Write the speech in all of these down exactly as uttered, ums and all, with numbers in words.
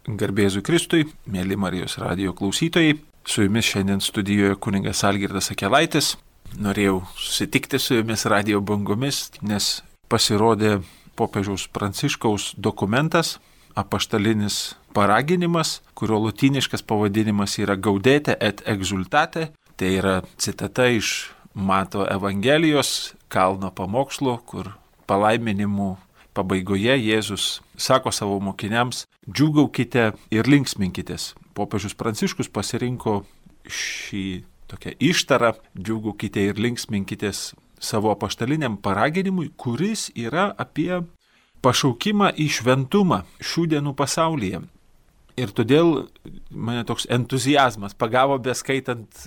Garbėzui Kristui, mėly Marijos radijo klausytojai, su jumis šiandien studijoje kunigas Algirdas Akelaitis. Norėjau susitikti su jumis radijo bangomis, nes pasirodė popiežiaus Pranciškaus dokumentas, apaštalinis paraginimas, kurio lotyniškas pavadinimas yra Gaudete et exultate. Tai yra citata iš Mato Evangelijos kalno pamokslo, kur palaiminimų pabaigoje Jėzus sako savo mokiniams: džiūgaukite ir linksminkitės. Popiežius Pranciškus pasirinko šį tokią ištarą džiūgaukite ir linksminkitės savo apaštaliniam paraginimui, kuris yra apie pašaukimą į šventumą šių dienų pasaulyje. Ir todėl mane toks entuziazmas pagavo beskaitant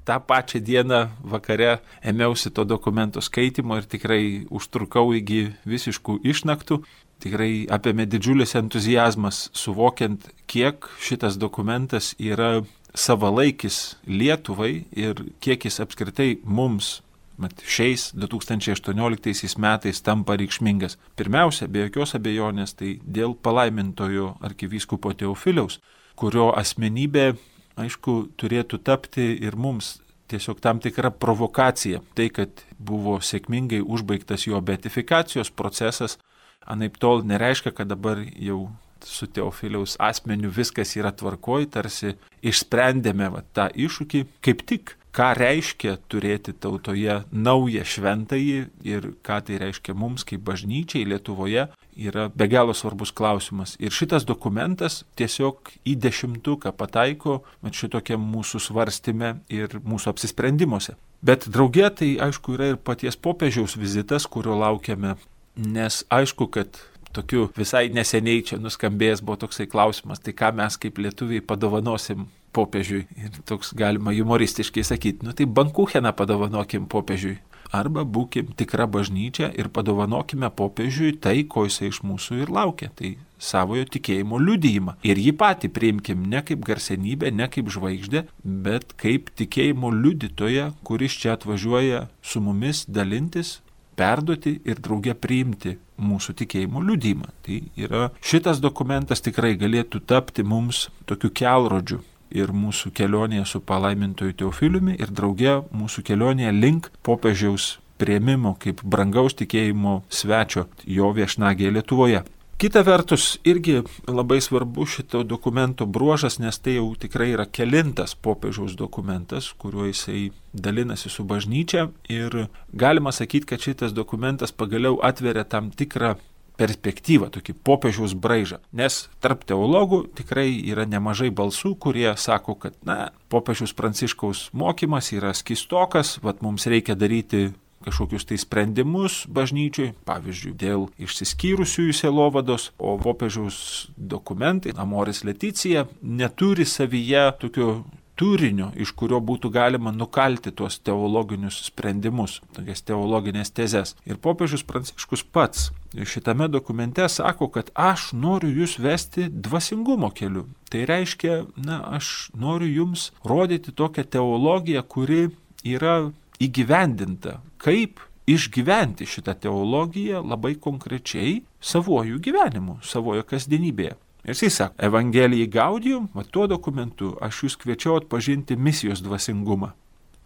tą pačią dieną vakare, ėmiausi to dokumento skaitimo ir tikrai užtrukau iki visiškų išnaktų. Tikrai apėmė didžiulis entuziazmas, suvokiant, kiek šitas dokumentas yra savalaikis Lietuvai ir kiek jis apskritai mums mat, šiais du tūkstančiai aštuonioliktaisiais metais tampa reikšmingas. Pirmiausia, be jokios abejonės, tai dėl palaimintojo arkivyskupo Teofiliaus, kurio asmenybė, aišku, turėtų tapti ir mums tiesiog tam tikra provokacija. Tai, kad buvo sėkmingai užbaigtas jo beatifikacijos procesas, anaip tol nereiškia, kad dabar jau su Teofiliaus asmeniu viskas yra tvarkoj, tarsi išsprendėme va, tą iššūkį. Kaip tik, ką reiškia turėti tautoje naują šventąjį ir ką tai reiškia mums kaip bažnyčiai Lietuvoje, yra be galo svarbus klausimas. Ir šitas dokumentas tiesiog į dešimtuką pataiko šitokiam mūsų svarstyme ir mūsų apsisprendimuose. Bet drauge tai aišku yra ir paties popiežiaus vizitas, kurio laukiame, nes aišku, kad tokiu visai neseniai čia nuskambėjęs buvo toksai klausimas, tai ką mes kaip lietuviai padovanosim popiežiui. Ir toks galima humoristiškai sakyti, nu tai bankucheną padovanokim popiežiui. Arba būkim tikra bažnyčia ir padovanokime popiežiui tai, ko jisai iš mūsų ir laukia. Tai savojo tikėjimo liudijimą. Ir jį patį priimkim ne kaip garsenybę, ne kaip žvaigždę, bet kaip tikėjimo liudytoją, kuris čia atvažiuoja su mumis dalintis, perduoti ir drauge priimti mūsų tikėjimo liudijimą. Tai yra šitas dokumentas tikrai galėtų tapti mums tokiu kelrodžiu ir mūsų kelionėje su palaimintoju Teofiliumi ir drauge mūsų kelionėje link popiežiaus priėmimo kaip brangaus tikėjimo svečio jo viešnagėje Lietuvoje. Kita vertus, irgi labai svarbu šito dokumento bruožas, nes tai jau tikrai yra kelintas popiežiaus dokumentas, kuriuo jisai dalinasi su bažnyčia ir galima sakyti, kad šitas dokumentas pagaliau atveria tam tikrą perspektyvą, tokį popiežiaus braižą. Nes tarp teologų tikrai yra nemažai balsų, kurie sako, kad na, popiežiaus Pranciškaus mokymas yra skystokas, vat mums reikia daryti kažkokius tai sprendimus bažnyčiui, pavyzdžiui, dėl išsiskyrusiųjų sielovados, o popiežiaus dokumentai, Amoris Laetitia, neturi savyje tokio turinio, iš kurio būtų galima nukalti tuos teologinius sprendimus, tokias teologinės tezes. Ir popiežius Pranciškus pats šitame dokumente sako, kad aš noriu jūs vesti dvasingumo keliu. Tai reiškia, na, aš noriu jums rodyti tokią teologiją, kuri yra įgyvendinta, kaip išgyventi šitą teologiją labai konkrečiai savojų gyvenimu, savojo kasdienybėje. Ir jisai sako, Evangelijai Gaudium, va tuo dokumentu aš jūs kviečiau atpažinti misijos dvasingumą.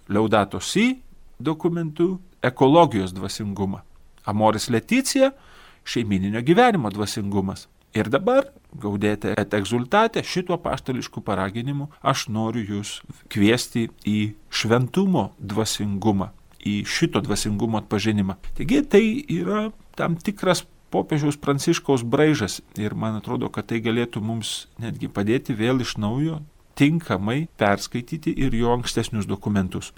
Laudato Si dokumentu ekologijos dvasingumą. Amoris Laetitia šeimininio gyvenimo dvasingumas. Ir dabar, Gaudete et exultate, šituo apaštališku paraginimu aš noriu jūs kviesti į šventumo dvasingumą, į šito dvasingumo atpažinimą. Taigi tai yra tam tikras popiežiaus Pranciškaus braižas ir man atrodo, kad tai galėtų mums netgi padėti vėl iš naujo tinkamai perskaityti ir jo ankstesnius dokumentus.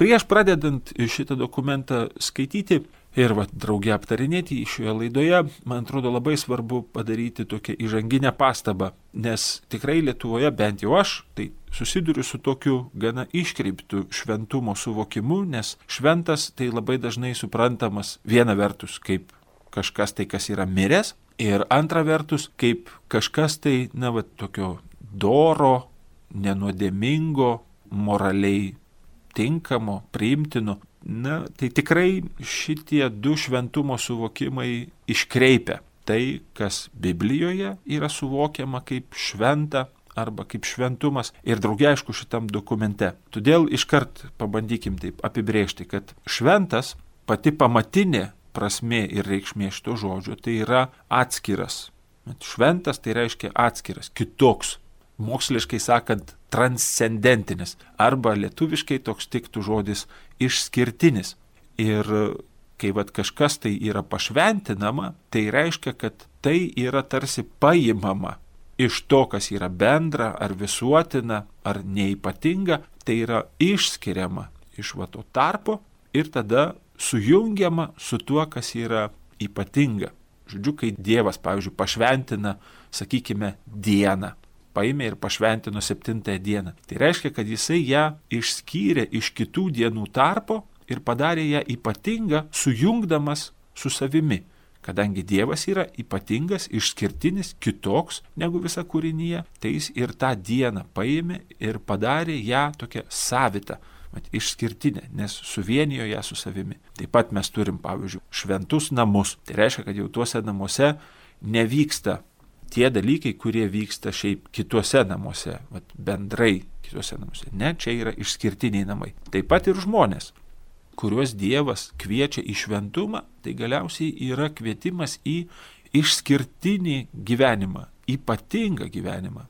Prieš pradedant šitą dokumentą skaityti ir va, drauge aptarinėti šioje laidoje, man atrodo labai svarbu padaryti tokią įžanginę pastabą, nes tikrai Lietuvoje, bent jau aš, tai susiduriu su tokiu gana iškreiptu šventumo suvokimu, nes šventas tai labai dažnai suprantamas viena vertus kaip kažkas tai, kas yra miręs, ir antra vertus kaip kažkas tai, na, va, tokio doro, nenuodėmingo, moraliai tinkamo, priimtino. Na, tai tikrai šitie du šventumo suvokimai iškreipia tai, kas Biblijoje yra suvokiama kaip šventa arba kaip šventumas ir drauge aišku šitam dokumente. Todėl iškart pabandykim taip apibrėžti, kad šventas, pati pamatinė prasmė ir reikšmė šito žodžio, tai yra atskiras. Šventas tai reiškia atskiras, kitoks, moksliškai sakant, transcendentinis, arba lietuviškai toks tiktų žodis išskirtinis. Ir kai vat kažkas tai yra pašventinama, tai reiškia, kad tai yra tarsi paimama iš to, kas yra bendra, ar visuotina, ar neipatinga, tai yra išskiriama iš va to tarpo ir tada sujungiama su tuo, kas yra ypatinga. Žodžiu, kai Dievas, pavyzdžiui, pašventina, sakykime, dieną, paėmė ir pašventino septintąją dieną. Tai reiškia, kad jisai ją išskyrė iš kitų dienų tarpo ir padarė ją ypatingą, sujungdamas su savimi. Kadangi Dievas yra ypatingas, išskirtinis, kitoks negu visa kūrinyje, tai jis ir tą dieną paėmė ir padarė ją tokią savitą, išskirtinę, nes suvienijo ją su savimi. Taip pat mes turim, pavyzdžiui, šventus namus. Tai reiškia, kad jau tuose namuose nevyksta tie dalykai, kurie vyksta šiaip kituose namuose, vat, bendrai kituose namuose. Ne, čia yra išskirtiniai namai. Taip pat ir žmonės, kuriuos Dievas kviečia į šventumą, tai galiausiai yra kvietimas į išskirtinį gyvenimą, ypatingą gyvenimą.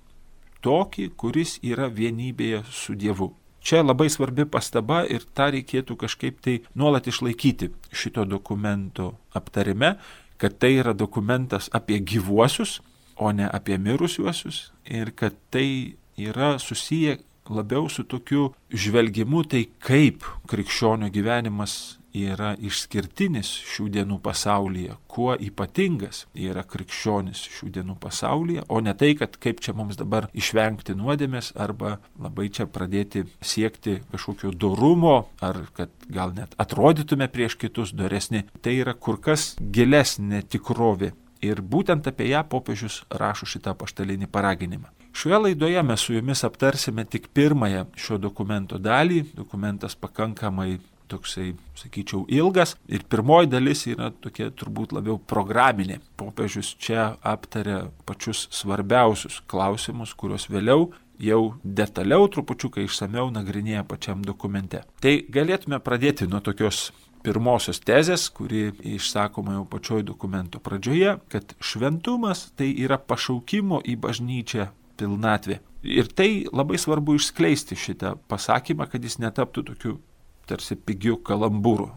Tokį, kuris yra vienybėje su Dievu. Čia labai svarbi pastaba ir tą reikėtų kažkaip tai nuolat išlaikyti šito dokumento aptarime, kad tai yra dokumentas apie gyvuosius, o ne apie mirusiuosius ir kad tai yra susiję labiau su tokiu žvelgimu, tai kaip krikščionio gyvenimas yra išskirtinis šių dienų pasaulyje, kuo ypatingas yra krikščionis šių dienų pasaulyje, o ne tai, kad kaip čia mums dabar išvengti nuodėmės arba labai čia pradėti siekti kažkokio dorumo, ar kad gal net atrodytume prieš kitus doresni. Tai yra kur kas gilesnė tikrovė. Ir būtent apie ją popiežius rašo šitą apaštalinį paraginimą. Šioje laidoje mes su jumis aptarsime tik pirmąją šio dokumento dalį. Dokumentas pakankamai toksai, sakyčiau, ilgas. Ir pirmoji dalis yra tokia turbūt labiau programinė. Popiežius čia aptarė pačius svarbiausius klausimus, kuriuos vėliau jau detaliau, trupučiuką išsameu nagrinėja pačiam dokumente. Tai galėtume pradėti nuo tokios pirmosios tezės, kuri išsakoma jau pačioj dokumento pradžioje, kad šventumas tai yra pašaukimo į bažnyčią pilnatvė. Ir tai labai svarbu išskleisti šitą pasakymą, kad jis netaptų tokiu tarsi pigiu kalambūru.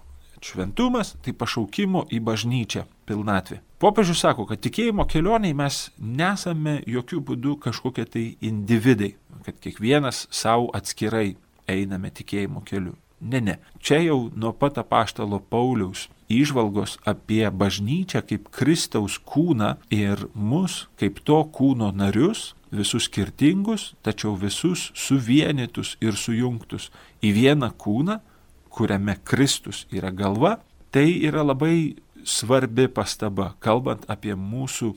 Šventumas tai pašaukimo į bažnyčią pilnatvė. Popiežius sako, kad tikėjimo kelioniai mes nesame jokių būdų kažkokie tai individai, kad kiekvienas savo atskirai einame tikėjimo keliu. Ne, ne. Čia jau nuo pat apaštalo Pauliaus įžvalgos apie bažnyčią kaip Kristaus kūną ir mus kaip to kūno narius, visus skirtingus, tačiau visus suvienytus ir sujungtus į vieną kūną, kuriame Kristus yra galva, tai yra labai svarbi pastaba, kalbant apie mūsų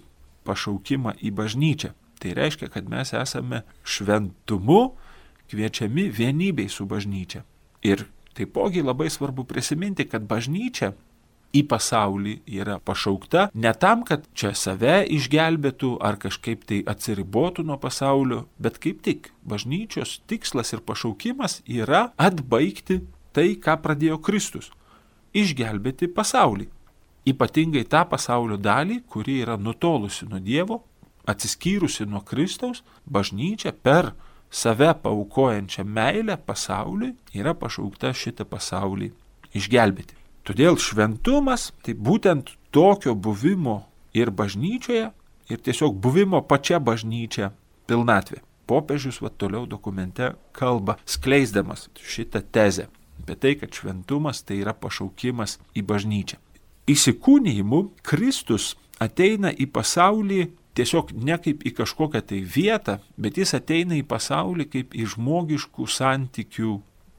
pašaukimą į bažnyčią. Tai reiškia, kad mes esame šventumu kviečiami vienybei su bažnyčia. Ir taipogi labai svarbu prisiminti, kad bažnyčia į pasaulį yra pašaukta ne tam, kad čia save išgelbėtų ar kažkaip tai atsiribotų nuo pasaulio, bet kaip tik bažnyčios tikslas ir pašaukimas yra atbaigti tai, ką pradėjo Kristus – išgelbėti pasaulį. Ypatingai tą pasaulio dalį, kuri yra nutolusi nuo Dievo, atsiskyrusi nuo Kristaus, bažnyčia per save paaukojančią meilę pasauliui yra pašaukta šitą pasaulį išgelbėti. Todėl šventumas tai būtent tokio buvimo ir bažnyčioje, ir tiesiog buvimo pačia bažnyčia pilnatvė. Popiežius va toliau dokumente kalba, skleisdamas šitą tezę apie tai, kad šventumas tai yra pašaukimas į bažnyčią. Įsikūnijimu Kristus ateina į pasaulį tiesiog ne kaip į kažkokią tai vietą, bet jis ateina į pasaulį kaip į žmogiškų santykių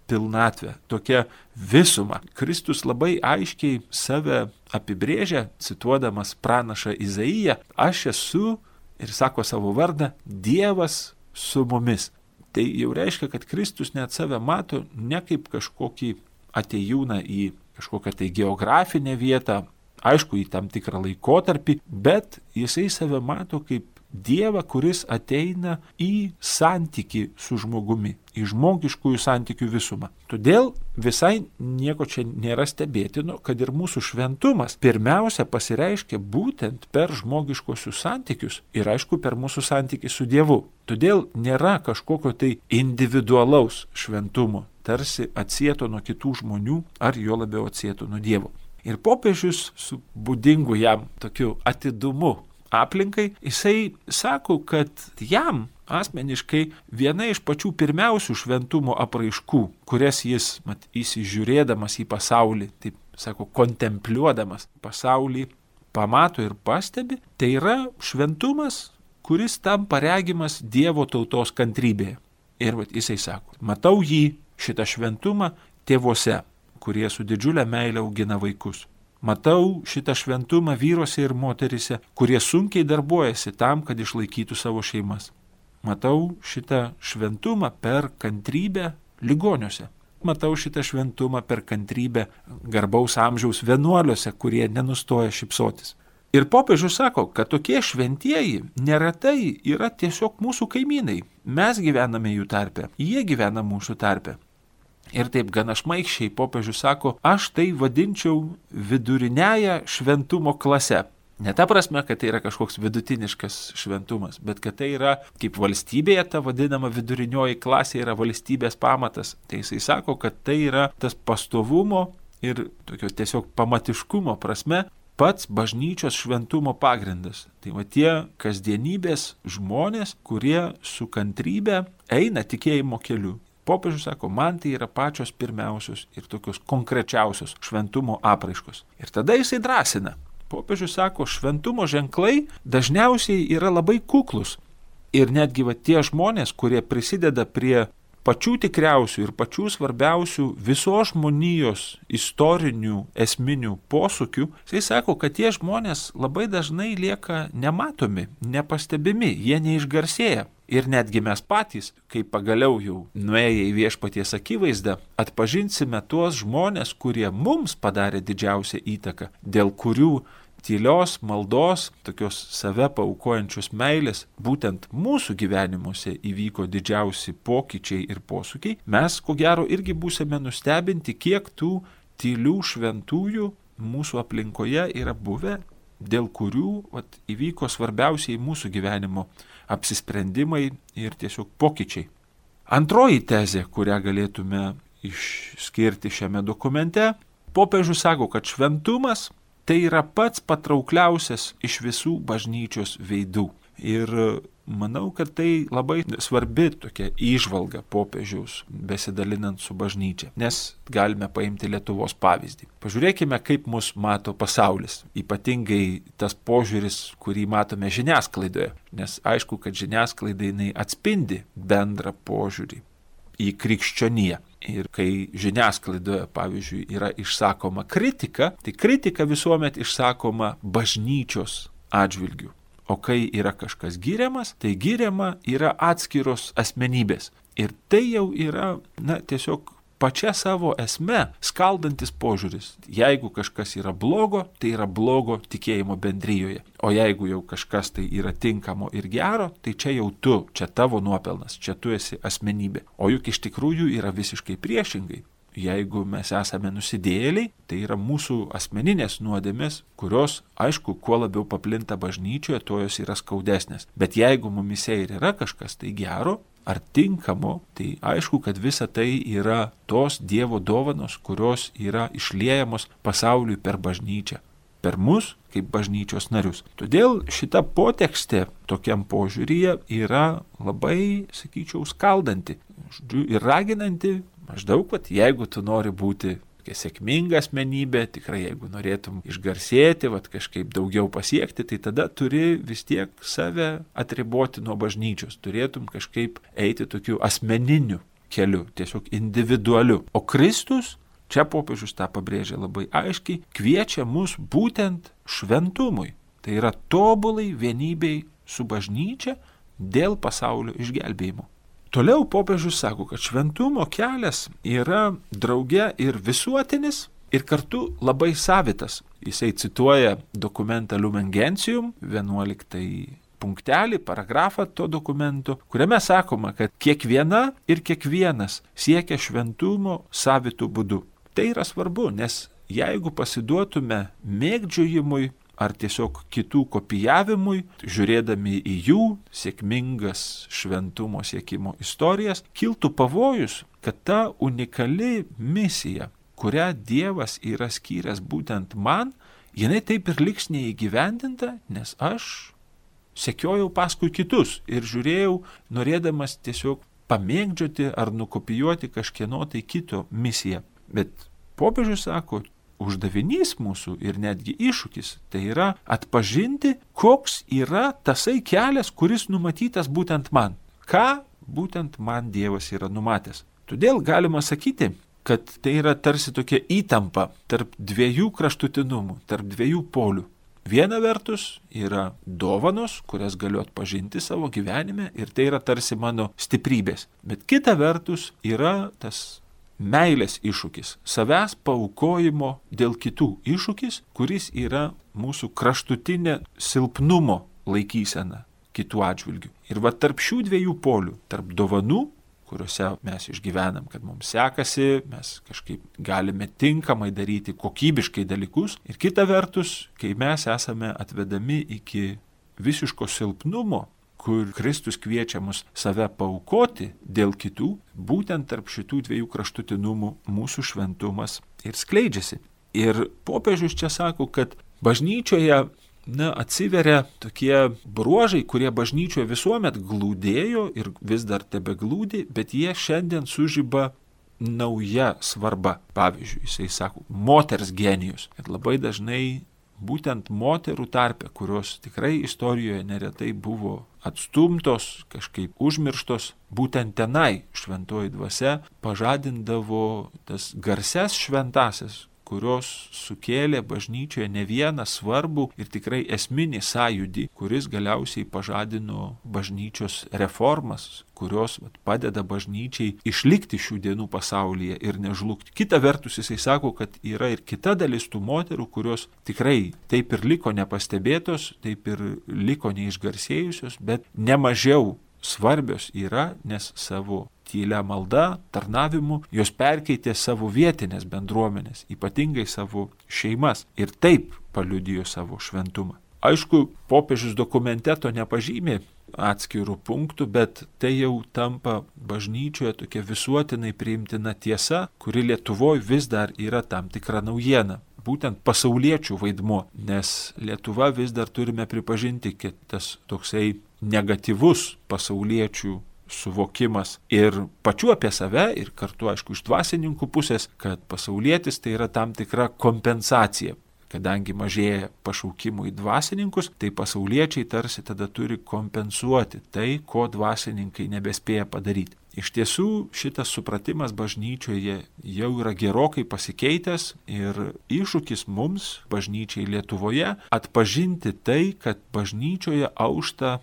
pilnatvę, tokia visuma. Kristus labai aiškiai save apibrėžia, cituodamas pranašą Izaiją, aš esu, ir sako savo vardą, Dievas su mumis. Tai jau reiškia, kad Kristus net save mato ne kaip kažkokį atėjūną į kažkokią tai geografinę vietą, aišku, į tam tikrą laikotarpį, bet jisai save mato kaip Dievą, kuris ateina į santykį su žmogumi, į žmogiškųjų santykių visumą. Todėl visai nieko čia nėra stebėtino, kad ir mūsų šventumas pirmiausia pasireiškia būtent per žmogiškosius santykius ir aišku per mūsų santykį su Dievu. Todėl nėra kažkokio tai individualaus šventumo, tarsi atsieto nuo kitų žmonių ar jo labiau atsieto nuo Dievo. Ir popiežius su būdingu jam tokiu atidumu aplinkai, jisai sako, kad jam asmeniškai viena iš pačių pirmiausių šventumo apraiškų, kurias jis, mat, įsižiūrėdamas į pasaulį, taip sako, kontempliuodamas pasaulį, pamato ir pastebi, tai yra šventumas, kuris tampa regimas Dievo tautos kantrybėje. Ir vat, jisai sako, matau jį, šitą šventumą, tėvuose, kurie su didžiulė meile augina vaikus. Matau šitą šventumą vyruose ir moterise, kurie sunkiai darbuojasi tam, kad išlaikytų savo šeimas. Matau šitą šventumą per kantrybę ligoniuose. Matau šitą šventumą per kantrybę garbaus amžiaus vienuoliuose, kurie nenustoja šypsotis. Ir popiežius sako, kad tokie šventieji neretai yra tiesiog mūsų kaimynai. Mes gyvename jų tarpe, jie gyvena mūsų tarpe. Ir taip gana šmaikščiai popiežius sako, aš tai vadinčiau viduriniąją šventumo klase. Ne ta prasme, kad tai yra kažkoks vidutiniškas šventumas, bet kad tai yra kaip valstybėje ta vadinama vidurinioji klasė yra valstybės pamatas. Tai jisai sako, kad tai yra tas pastovumo ir tokio tiesiog pamatiškumo prasme pats bažnyčios šventumo pagrindas. Tai va tie kasdienybės žmonės, kurie su kantrybe eina tikėjimo keliu. Popiežius sako, man tai yra pačios pirmiausios ir tokios konkrečiausios šventumo apraiškos. Ir tada jisai drąsina. Popiežius sako, šventumo ženklai dažniausiai yra labai kuklus. Ir netgi va tie žmonės, kurie prisideda prie pačių tikriausių ir pačių svarbiausių visos žmonijos istorinių esminių posūkių, jisai sako, kad tie žmonės labai dažnai lieka nematomi, nepastebimi, jie neišgarsėja. Ir netgi mes patys, kai pagaliau jau nuėję į viešpaties akivaizdą, atpažinsime tuos žmonės, kurie mums padarė didžiausią įtaką, dėl kurių tylios maldos, tokios save paaukojančios meilės, būtent mūsų gyvenimuose įvyko didžiausi pokyčiai ir posūkiai, mes ko gero irgi būsime nustebinti, kiek tų tylių šventųjų mūsų aplinkoje yra buvę, dėl kurių vat, įvyko svarbiausiai mūsų gyvenimo apsisprendimai ir tiesiog pokyčiai. Antroji tezė, kurią galėtume išskirti šiame dokumente, popiežius sako, kad šventumas tai yra pats patraukliausias iš visų bažnyčios veidų. Ir manau, kad tai labai svarbi tokia įžvalga popiežiaus besidalinant su bažnyčia, nes galime paimti Lietuvos pavyzdį. Pažiūrėkime, kaip mus mato pasaulis, ypatingai tas požiūris, kurį matome žiniasklaidoje, nes aišku, kad žiniasklaida jinai atspindi bendrą požiūrį į krikščioniją. Ir kai žiniasklaidoje, pavyzdžiui, yra išsakoma kritika, tai kritika visuomet išsakoma bažnyčios atžvilgių. O kai yra kažkas giriamas, tai giriama yra atskiros asmenybės. Ir tai jau yra, na, tiesiog pačia savo esme skaldantis požiūris. Jeigu kažkas yra blogo, tai yra blogo tikėjimo bendrijoje. O jeigu jau kažkas tai yra tinkamo ir gero, tai čia jau tu, čia tavo nuopelnas, čia tu esi asmenybė. O juk iš tikrųjų yra visiškai priešingai. Jeigu mes esame nusidėjėliai, tai yra mūsų asmeninės nuodėmės, kurios, aišku, kuo labiau paplinta bažnyčioje, tuo jos yra skaudesnės. Bet jeigu mumise ir yra kažkas tai gero ar tinkamo, tai aišku, kad visa tai yra tos Dievo dovanos, kurios yra išliejamos pasauliui per bažnyčią, per mus kaip bažnyčios narius. Todėl šita potekstė tokiam požiūryje yra labai, sakyčiau, skaldanti ir raginanti. Maždaug, kad jeigu tu nori būti sėkminga asmenybė, tikrai jeigu norėtum išgarsėti, vat, kažkaip daugiau pasiekti, tai tada turi vis tiek save atriboti nuo bažnyčios, turėtum kažkaip eiti tokiu asmeniniu keliu, tiesiog individualiu. O Kristus, čia popiežius tą pabrėžia labai aiškiai, kviečia mus būtent šventumui. Tai yra tobulai vienybei su bažnyčia dėl pasaulio išgelbėjimo. Toliau popiežius sako, kad šventumo kelias yra drauge ir visuotinis, ir kartu labai savitas. Jisai cituoja dokumentą Lumen Gentium, vienuoliktąjį punktelį, paragrafą to dokumento, kuriame sakoma, kad kiekviena ir kiekvienas siekia šventumo savitų būdų. Tai yra svarbu, nes jeigu pasiduotume mėgdžiojimui ar tiesiog kitų kopijavimui, žiūrėdami į jų sėkmingas šventumo siekimo istorijas, kiltų pavojus, kad ta unikali misija, kurią Dievas yra skyręs būtent man, jinai taip ir liks neįgyvendinta, nes aš sekiojau paskui kitus ir žiūrėjau, norėdamas tiesiog pamėgdžioti ar nukopijuoti kažkieno tai kito misiją. Bet popiežius sako, uždavinys mūsų ir netgi iššūkis, tai yra atpažinti, koks yra tasai kelias, kuris numatytas būtent man. Ką būtent man Dievas yra numatęs. Todėl galima sakyti, kad tai yra tarsi tokia įtampa tarp dviejų kraštutinumų, tarp dviejų polių. Viena vertus yra dovanos, kurias galiu atpažinti savo gyvenime ir tai yra tarsi mano stiprybės. Bet kita vertus yra tas meilės iššūkis, savęs paaukojimo dėl kitų iššūkis, kuris yra mūsų kraštutinė silpnumo laikysena kitų atžvilgių. Ir va tarp šių dviejų polių, tarp dovanų, kuriuose mes išgyvenam, kad mums sekasi, mes kažkaip galime tinkamai daryti kokybiškai dalykus. Ir kita vertus, kai mes esame atvedami iki visiško silpnumo, kur Kristus kviečia mus save paaukoti dėl kitų, būtent tarp šitų dviejų kraštutinumų mūsų šventumas ir skleidžiasi. Ir popiežius čia sako, kad bažnyčioje Na, atsiveria tokie bruožai, kurie bažnyčioje visuomet glūdėjo ir vis dar tebeglūdi, bet jie šiandien sužiba nauja svarba. Pavyzdžiui, jisai sako, moters genijus. Ir labai dažnai būtent moterų tarpe, kurios tikrai istorijoje neretai buvo atstumtos, kažkaip užmirštos, būtent tenai šventoji dvasia pažadindavo tas garsias šventasias, kurios sukėlė bažnyčioje ne vieną svarbų ir tikrai esminį sąjūdį, kuris galiausiai pažadino bažnyčios reformas, kurios vat, padeda bažnyčiai išlikti šių dienų pasaulyje ir nežlugti. Kita vertus, jisai sako, kad yra ir kita dalis tų moterų, kurios tikrai taip ir liko nepastebėtos, taip ir liko neišgarsėjusios, bet nemažiau svarbios yra, nes savo tylia malda, tarnavimu, jos perkeitė savo vietinės bendruomenės, ypatingai savo šeimas ir taip paliudijo savo šventumą. Aišku, popiežius dokumente to nepažymė atskirų punktų, bet tai jau tampa bažnyčioje tokia visuotinai priimtina tiesa, kuri Lietuvoje vis dar yra tam tikra naujiena. Būtent pasauliečių vaidmuo, nes Lietuva vis dar turime pripažinti, kad tas toksai negatyvus pasauliečių suvokimas ir pačiu apie save ir kartu, aišku, iš dvasininkų pusės, kad pasaulietis tai yra tam tikra kompensacija. Kadangi mažėja pašaukimų į dvasininkus, tai pasauliečiai tarsi tada turi kompensuoti tai, ko dvasininkai nebespėja padaryti. Iš tiesų, šitas supratimas bažnyčioje jau yra gerokai pasikeitęs ir iššūkis mums, bažnyčiai Lietuvoje, atpažinti tai, kad bažnyčioje aušta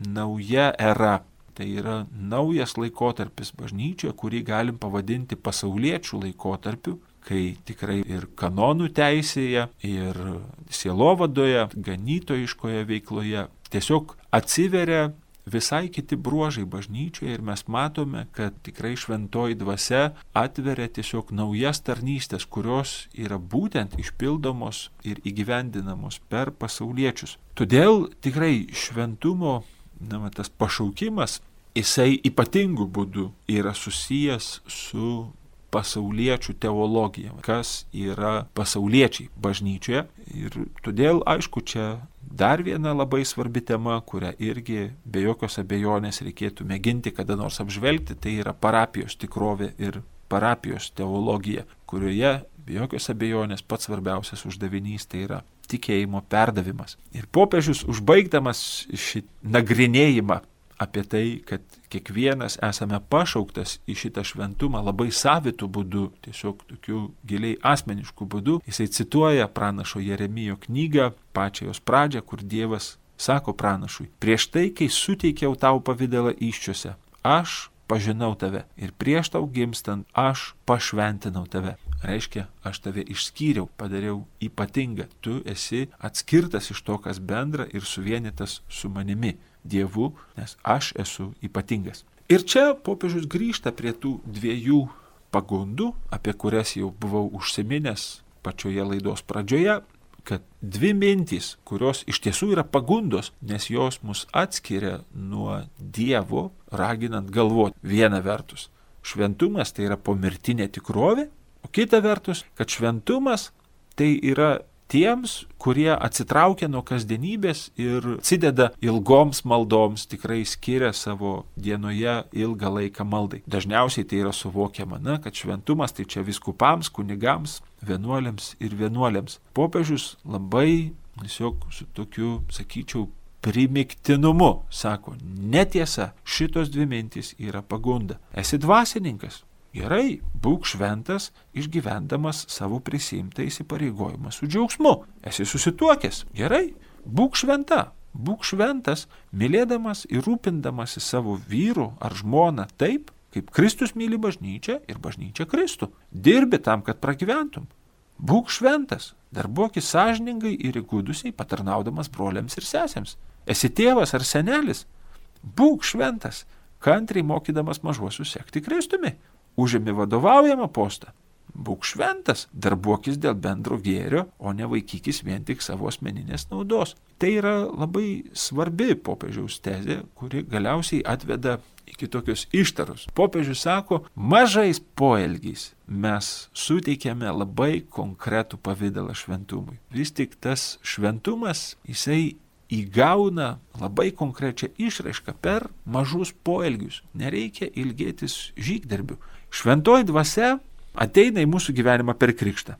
nauja era. Tai yra naujas laikotarpis bažnyčioje, kurį galim pavadinti pasauliečių laikotarpiu, kai tikrai ir kanonų teisėje, ir sielovadoje, ganytojiškoje veikloje tiesiog atsiveria visai kiti bruožai bažnyčioje ir mes matome, kad tikrai šventoji dvasia atveria tiesiog naujas tarnystės, kurios yra būtent išpildomos ir įgyvendinamos per pasauliečius. Todėl tikrai šventumo, na, tas pašaukimas, jisai ypatingų būdų yra susijęs su pasauliečių teologija, kas yra pasauliečiai bažnyčioje. Ir todėl, aišku, čia dar viena labai svarbi tema, kurią irgi be jokios abejonės reikėtų mėginti kada nors apžvelgti, tai yra parapijos tikrovė ir parapijos teologija, kurioje be jokios abejonės pats svarbiausias uždavinys tai yra tikėjimo perdavimas. Ir popiežius, užbaigdamas šį nagrinėjimą apie tai, kad kiekvienas esame pašauktas į šitą šventumą labai savitų būdų, tiesiog tokių giliai asmeniškų būdų, jisai cituoja pranašo Jeremijo knygą, pačią jos pradžią, kur Dievas sako pranašui, prieš tai, kai suteikiau tau pavidalą įsčiose, aš pažinau tave ir prieš tau gimstant aš pašventinau tave. Reiškia, aš tave išskyriau, padariau ypatingą. Tu esi atskirtas iš to, kas bendra ir suvienytas su manimi, Dievu, nes aš esu ypatingas. Ir čia popiežius grįžta prie tų dviejų pagundų, apie kurias jau buvau užsiminęs pačioje laidos pradžioje, kad dvi mintys, kurios iš tiesų yra pagundos, nes jos mus atskiria nuo Dievo, raginant galvoti. Viena vertus, šventumas tai yra pomirtinė tikrovė, o kita vertus, kad šventumas tai yra tiems, kurie atsitraukia nuo kasdienybės ir atsideda ilgoms maldoms, tikrai skiria savo dienoje ilgą laiką maldai. Dažniausiai tai yra suvokiama, na, kad šventumas tai čia vyskupams, kunigams, vienuoliams ir vienuoliams. Popiežius labai tiesiog su tokiu, sakyčiau, primiktinumu sako, netiesa, šitos dvi mintys yra pagunda. Esi dvasininkas. Gerai, būk šventas, išgyvendamas savo prisiimtą įsipareigojimą su džiaugsmu. Esi susituokęs. Gerai, būk šventa. Būk šventas, mylėdamas ir rūpindamasi savo vyru ar žmoną taip, kaip Kristus myli bažnyčią ir bažnyčia Kristų. Dirbi tam, kad pragyventum. Būk šventas, darbuokis sąžiningai ir įgudusiai, patarnaudamas broliams ir sesėms. Esi tėvas ar senelis. Būk šventas, kantriai mokydamas mažuosius sekti Kristumi. Užimi vadovaujamą postą. Būk šventas, darbuokis dėl bendro gėrio, o ne vaikykis vien tik savo asmeninės naudos. Tai yra labai svarbi popiežiaus tezė, kuri galiausiai atveda iki tokios ištaros. Popiežius sako, mažais poelgiais mes suteikiame labai konkretų pavydalą šventumui. Vis tik tas šventumas, jisai įgauna labai konkrečią išraišką per mažus poelgius. Nereikia ilgėtis žygdarbių. Šventoji dvasia ateina į mūsų gyvenimą per krikštą.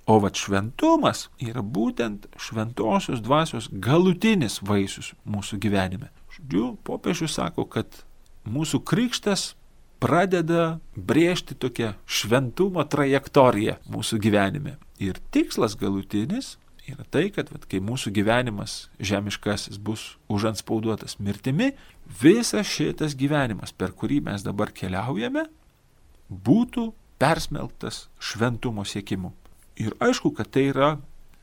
O vat šventumas yra būtent šventosios dvasios galutinis vaisius mūsų gyvenime. Žodžiu, popiežius sako, kad mūsų krikštas pradeda brėžti tokią šventumo trajektoriją mūsų gyvenime. Ir tikslas galutinis yra tai, kad vat, kai mūsų gyvenimas žemiškasis bus užantspauduotas mirtimi, visas šitas gyvenimas, per kurį mes dabar keliaujame, būtų persmelktas šventumo siekimu. Ir aišku, kad tai yra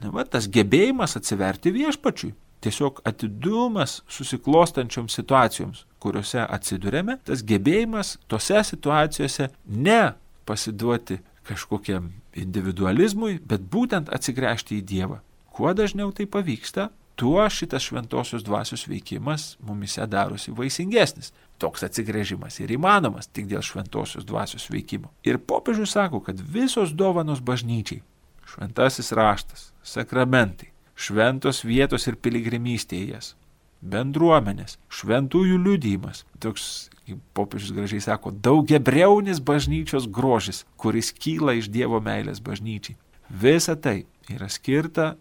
na, va, tas gebėjimas atsiverti viešpačiui. Tiesiog atidumas susiklostančioms situacijoms, kuriuose atsidurėme, tas gebėjimas tose situacijose ne pasiduoti kažkokiam individualizmui, bet būtent atsigręžti į Dievą. Kuo dažniau tai pavyksta, tuo šitas šventosios dvasios veikimas mumise darosi vaisingesnis. Toks atsigręžimas ir įmanomas tik dėl šventosios dvasios veikimo. Ir popiežius sako, kad visos dovanos bažnyčiai, šventasis raštas, sakramentai, šventos vietos ir piligrimystė į jas, bendruomenės, šventųjų liudijimas, toks, kaip popiežius gražiai sako, daugiabriaunis bažnyčios grožis, kuris kyla iš Dievo meilės bažnyčiai. Visa tai yra skirta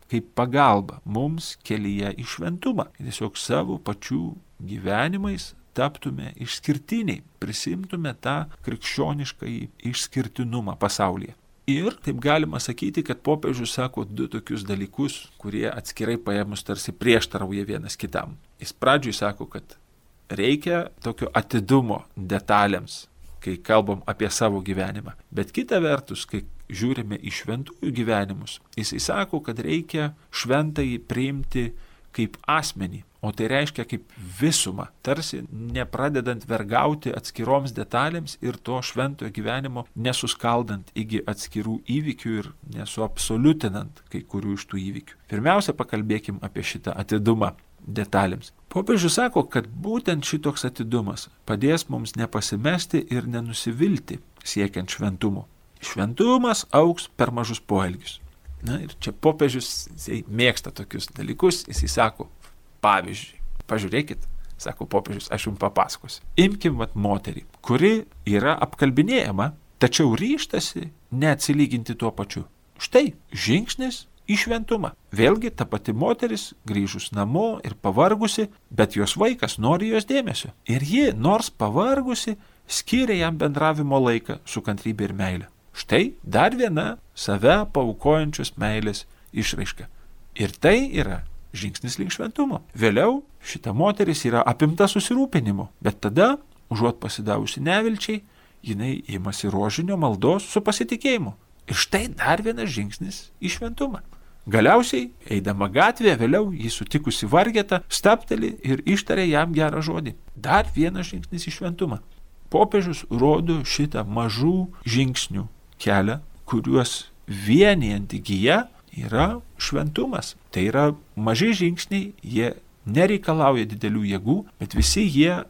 kaip pagalba mums kelyje į šventumą. Tiesiog savo pačių gyvenimais taptume išskirtiniai, prisimtume tą krikščioniškąjį išskirtinumą pasaulyje. Ir taip galima sakyti, kad popiežius sako du tokius dalykus, kurie atskirai paėmus tarsi prieštarauja vienas kitam. Jis pradžiui sako, kad reikia tokio atidumo detalėms, kai kalbam apie savo gyvenimą. Bet kita vertus, kai žiūrime į šventųjų gyvenimus, jisai sako, kad reikia šventąjį priimti kaip asmenį, o tai reiškia kaip visumą, tarsi nepradedant vergauti atskiroms detalėms ir to šventojo gyvenimo nesuskaldant iki atskirų įvykių ir nesuabsoliutinant kai kurių iš tų įvykių. Pirmiausia, pakalbėkim apie šitą atidumą detalėms. Popiežius sako, kad būtent šitoks atidumas padės mums nepasimesti ir nenusivilti siekiant šventumo. Šventumas augs per mažus poelgius. Na ir čia popiežius mėgsta tokius dalykus, jis įsako, pavyzdžiui, pažiūrėkit, sako popiežius, aš jums papasakosiu. Imkim vat moterį, kuri yra apkalbinėjama, tačiau ryžtasi neatsilyginti tuo pačiu. Štai žingsnis į šventumą. Vėlgi ta pati moteris grįžus namo ir pavargusi, bet jos vaikas nori jos dėmesio. Ir ji, nors pavargusi, skiria jam bendravimo laiką su kantrybė ir meilė. Štai dar viena save paaukojančios meilės išraiška. Ir tai yra žingsnis link šventumo. Vėliau šita moteris yra apimta susirūpinimo, bet tada užuot pasidavusi nevilčiai, jinai imasi rožinio maldos su pasitikėjimu. Ir štai dar vienas žingsnis į šventumą. Galiausiai, eidama gatvėje, vėliau jį sutikusi vargetą, stabteli ir ištarė jam gerą žodį. Dar vienas žingsnis į šventumą. Popiežius rodo šitą mažų žingsnių kelią, kuriuos vienijanti gija yra šventumas. Tai yra maži žingsniai, jie nereikalauja didelių jėgų, bet visi jie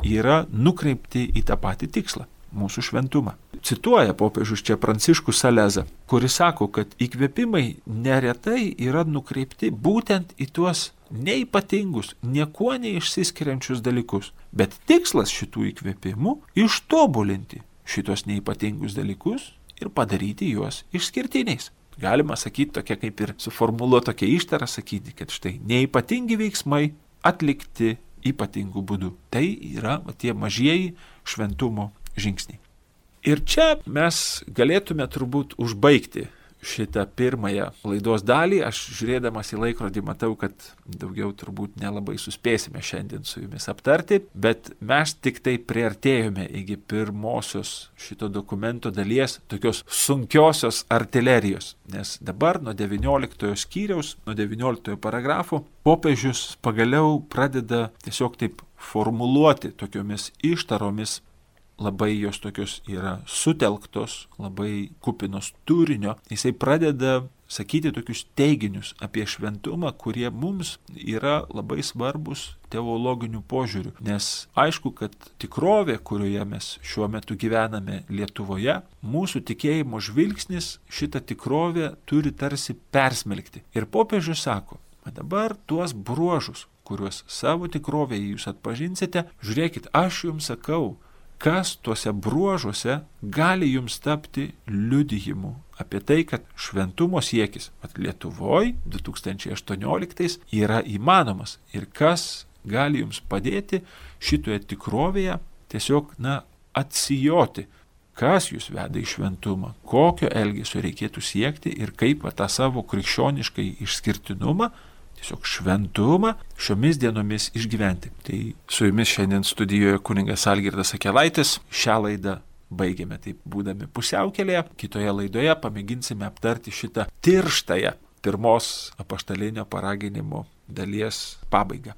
yra nukreipti į tą patį tikslą – mūsų šventumą. Cituoja popiežius čia Pranciškų Salezą, kuris sako, kad įkvėpimai neretai yra nukreipti būtent į tuos neypatingus, niekuo neišsiskiriančius dalykus. Bet tikslas šitų įkvėpimų – ištobulinti šitos neypatingus dalykus ir padaryti juos išskirtiniais. Galima sakyti tokia kaip ir suformuluoti tokia ištara, sakyti, kad štai neypatingi veiksmai atlikti ypatingų būdų. Tai yra tie mažieji šventumo žingsniai. Ir čia mes galėtume turbūt užbaigti šitą pirmąją laidos dalį. Aš žiūrėdamas į laikrodį matau, kad daugiau turbūt nelabai suspėsime šiandien su jumis aptarti, bet mes tik tai priartėjome iki pirmosios šito dokumento dalies, tokios sunkiosios artilerijos. Nes dabar nuo devynioliktojo skyriaus, nuo devynioliktojo paragrafo, popiežius pagaliau pradeda tiesiog taip formuluoti tokiomis ištaromis. Labai jos tokios yra sutelktos, labai kupinos turinio. Jisai pradeda sakyti tokius teiginius apie šventumą, kurie mums yra labai svarbus teologinių požiūrių. Nes aišku, kad tikrovė, kurioje mes šiuo metu gyvename Lietuvoje, mūsų tikėjimo žvilgsnis šitą tikrovę turi tarsi persmelkti. Ir popiežius sako, dabar tuos bruožus, kuriuos savo tikrovėje jūs atpažinsite, žiūrėkit, aš jums sakau, kas tuose bruožuose gali jums tapti liudijimu apie tai, kad šventumo siekis Lietuvoje du tūkstančiai aštuonioliktais yra įmanomas ir kas gali jums padėti šitoje tikrovėje tiesiog, na, atsijoti, kas jūs veda į šventumą, kokio elgesio reikėtų siekti ir kaip va, tą savo krikščioniškai išskirtinumą, tiesiog šventumą šiomis dienomis išgyventi. Tai su jumis šiandien studijoje kunigas Algirdas Akelaitis. Šią laidą baigėme taip būdami pusiaukelėje. Kitoje laidoje pamėginsime aptarti šitą tirštąją pirmos apaštalinio paraginimo dalies pabaigą.